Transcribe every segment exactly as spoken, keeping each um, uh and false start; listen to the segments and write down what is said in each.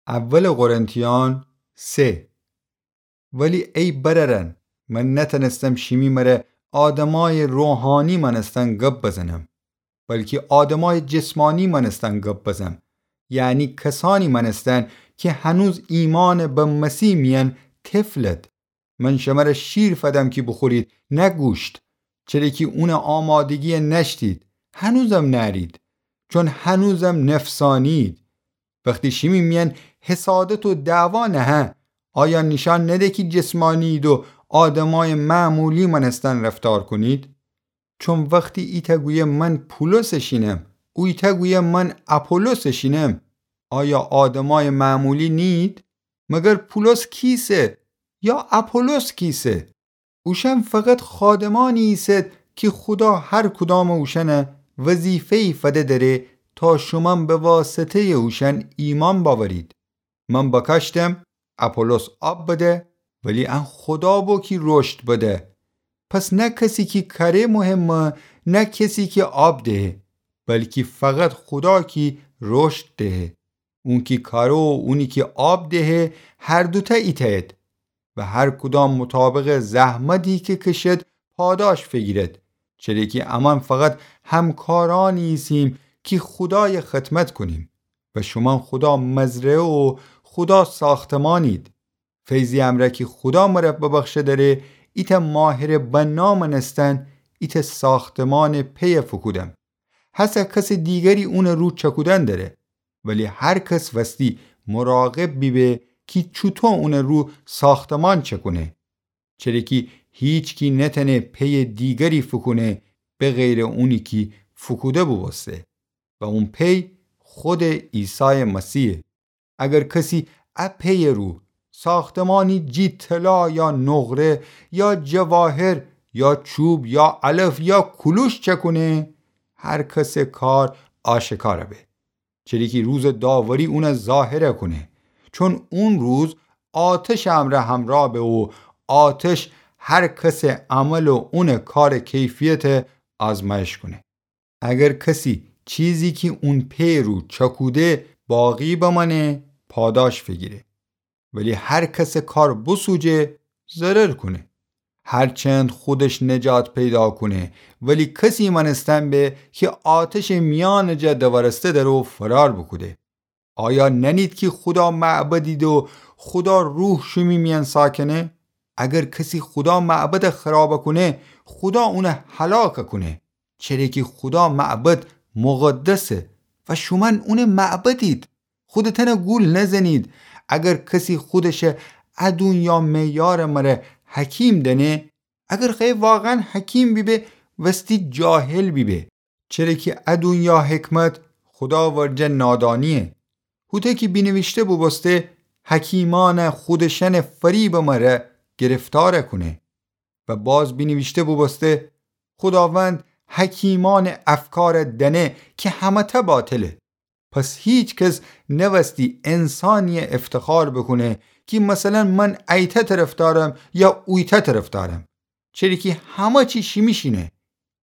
اول قرنتیان سه. ولی ای برأرأن، من نتأنستم شیمی مره آدمای روحانی مأنستن گب بزنم، بلکی آدمای جسمانی مأنستن گب بزم، یعنی کسانی مأنستن کی هنوز ایمأن به مسیح میأن طفلد. من شمره شیر فدم کی بوخورید، نه گوشت، چره کی اونٚ آمادگی نأشتید، هنوزم نأرید، چون هنوزم نفسانیید. وختی شیمی میأن حسادت و دعوا نهه، آیا نیشأن نده کی جسمانیید و آدمای معمولی مأنستن رفتار کونید؟ چون وختی ایتأ گویه من پولسٚ شینم، اویتأ گویه من اپولوسٚ شینم، آیا آدمای معمولی نیید؟ مگر پولس کیسه؟ یا اپولوس کیسه؟ اوشأن فقط خادمانی ایسد کی خودا هر کدامٚ اوشأنه وظیفه‌یی فده دأره تا شومأن به واسطه‌یٚ اوشأن ایمأن بأورید. من بکاشتم، اپولوس آب بده، ولی ان خودا بو کی رشد بده. پس نه کسی کی کره مهمه، نه کسی کی آب دهه، بلکی فقط خودا کی رشد دهه. اونی کی کاره و اونی کی آب دهه، هر دوتأ ایتأید و هر کدام مطابقٚ زحمتی کی کشد پاداش فیگیرد. چره کی امأن فقط همکارانی ایسیم کی خودای خدمت کونیم و شومأن خودا مزرعه و خودا ساختمانید. فیضی امرأ کی خودا مره ببخشه دأره، ایتأ ماهرٚ بنا مأنستن ایتأ ساختمانٚ پیه فوکودم. هسه کسٚ دیگری اونٚ رو چکودن دأره، ولی هر کس وستی مراقب بیبه کی چوطو اونٚ رو ساختمان چکونه. چره کی هیچکی نتأنه پیٚ دیگری فوکونه به غیرٚ اونی کی فوکوده بوبوسته و اون پی خودٚ عیسایٚ مسیحه. اگر کسی ا پیٚ رو ساختمانی جی طلا یا نقره یا جواهر یا چوب یا علف یا کلوش چکونه، هر کسٚ کار آشکار به. چره کی روزٚ داوری اونه ظاهر کونه. چون اون روز آتشٚ امرأ همرأ به و آتش هر کسٚ عمل و اونٚ کارٚ کیفیت آزمایش کونه. اگر کسی چیزی کی اون پیٚ رو چکوده باقی بمأنه، پاداش فیگیره. ولی هر کسٚ کار بوسوجه، ضرر کونه. هرچند خودش نجات پیدا کونه، ولی کسی مأنستن به کی آتشٚ میأنٚ جا دورسته دره و فرار بوکوده. آیا نأنید کی خودا معبدید و خودا روح شیمی میأن ساکنه؟ اگر کسی خودا معبد خراب کونه، خودا اونه هلاک کونه. چره کی خودا معبد مقدسه و شومأن اونٚ معبدید. خودتأن گول نزنید. اگر کسی خودش ا دونیا معیارٚ مره حکیم دأنه، اگر خوأیه واقعاً حکیم بیبه، وستی جاهل بیبه. چره کی ا دونیا حکمت خودا ورجه نادانیه. هوطو کی بینیویشته بوبوسته، حکیمأن خودشأنٚ فریبٚ مره گرفتار کونه. و باز بینیویشته بوبوسته، خوداوند حکیمأنٚ افکار دأنه کی همه‌تأ باطله. پس هیکس نوستی انسانیی افتخار بوکونه کی مثلاً من ایتأ طرفدارم یا اویتأ طرفدارم. چره کی همه چی شیمی شینه.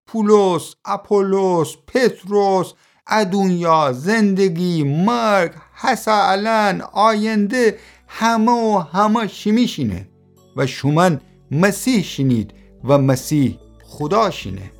پولس، آپولوس، پطرس، ا دونیا، زندگی، مرگ، هسه الأن، آینده، همه و همه شیمی شینه. و شومأن مسیح شینید و مسیح خودا شینه.